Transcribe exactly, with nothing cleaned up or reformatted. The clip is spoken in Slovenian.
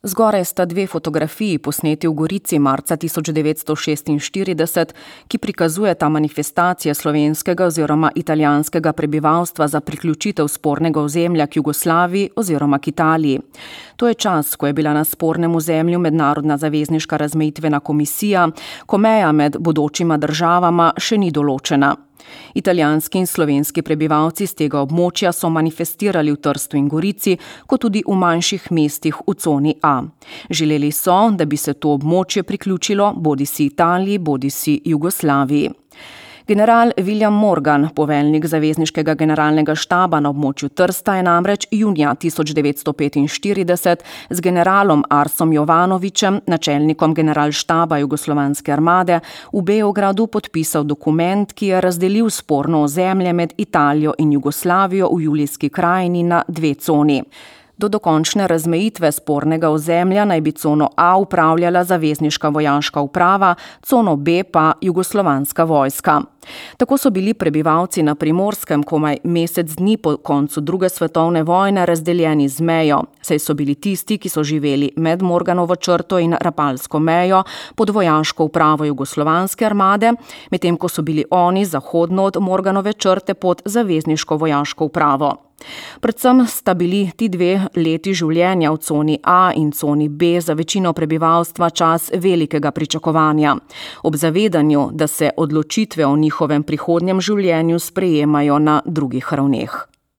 Zgoraj sta dve fotografiji posneti v Gorici marca tisoč devetsto šestinštirideset, ki prikazujeta manifestacije slovenskega oziroma italijanskega prebivalstva za priključitev spornega ozemlja k Jugoslaviji oziroma k Italiji. To je čas, ko je bila na spornem ozemlju mednarodna zavezniška razmejitvena komisija, ko meja med bodočima državama še ni določena. Italijanski in slovenski prebivalci z tega območja so manifestirali v Trstu in Gorici, kot tudi v manjših mestih v coni A. Želeli so, da bi se to območje priključilo bodisi Italiji, bodisi Jugoslaviji. General William Morgan, poveljnik zavezniškega generalnega štaba na območju Trsta, je namreč junija tisoč devetsto petinštirideset z generalom Arsom Jovanovićem, načelnikom generalštaba Jugoslovanske armade, v Beogradu podpisal dokument, ki je razdelil sporno ozemlje med Italijo in Jugoslavijo v Julijski krajini na dve coni. Do dokončne razmejitve spornega ozemlja naj bi cono A upravljala zavezniška vojaška uprava, cono B pa jugoslovanska vojska. Tako so bili prebivalci na Primorskem komaj mesec dni po koncu druge svetovne vojne razdeljeni z mejo, saj so bili tisti, ki so živeli med Morganovo črto in Rapalsko mejo pod vojaško upravo Jugoslovanske armade, medtem ko so bili oni zahodno od Morganove črte pod zavezniško vojaško upravo. Predvsem sta bili ti dve leti življenja v coni A in coni B za večino prebivalstva čas velikega pričakovanja, ob zavedanju, da se odločitve o njihovem prihodnjem življenju sprejemajo na drugih ravneh.